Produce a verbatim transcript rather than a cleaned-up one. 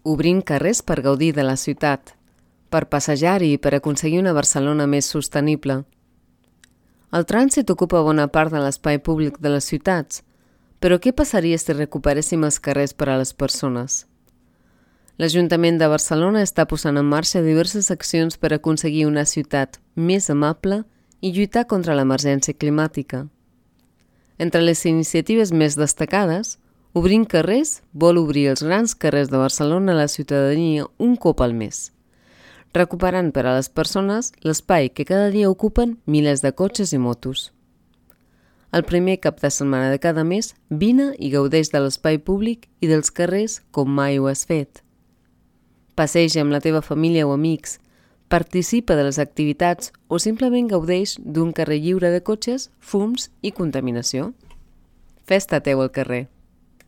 Obrint carrers per gaudir de la ciutat, per passejar-hi i per aconseguir una Barcelona més sostenible. El trànsit ocupa bona part de l'espai públic de les ciutats, però què passaria si recuperéssim els carrers per a les persones? L'Ajuntament de Barcelona està posant en marxa diverses accions per aconseguir una ciutat més amable i lluitar contra l'emergència climàtica. Entre les iniciatives més destacades, Obrint carrers vol obrir els grans carrers de Barcelona a la ciutadania un cop al mes, recuperant per a les persones l'espai que cada dia ocupen milers de cotxes i motos. El primer cap de setmana de cada mes, vine i gaudeix de l'espai públic i dels carrers com mai ho has fet. Passeja amb la teva família o amics, participa de les activitats o simplement gaudeix d'un carrer lliure de cotxes, fums i contaminació. Festa teu al carrer.